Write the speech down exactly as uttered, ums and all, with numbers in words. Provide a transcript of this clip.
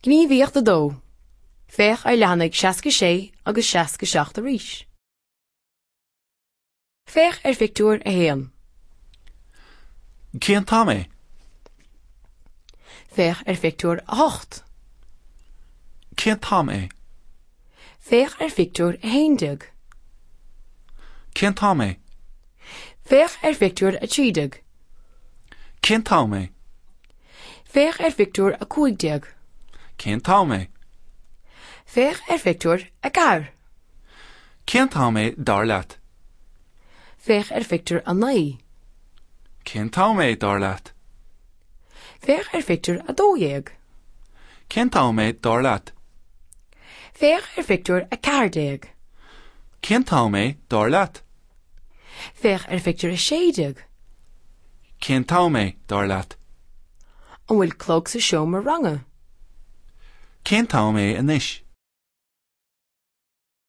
Gníomhaíocht a dó. Féach ar leathanaigh seasca sé agus seasca seacht arís. Féach ar phictiúr a haon. Cén t-am é? Féach ar phictiúr a hocht. Cén t-am é? Féach ar phictiúr a haon déag. Cén t-am é? Féach ar phictiúr a trí déag. Cén t-am é? Féach ar phictiúr a cúig déag. Cén t-am é? Féach ar phictiúr a ceathair. Cén t-am é dar leat? Féach ar phictiúr a naoi. Cén t-am é dar leat? Féach ar phictiúr a dó dhéag. Cén t-am é dar leat? Féach ar phictiúr a ceathair déag. Cén t-am é dar leat? Féach ar phictiúr a sé déag. Cén t-am é dar leat? An bhfuil clog sa seomra ranga? Cén t-am é anois?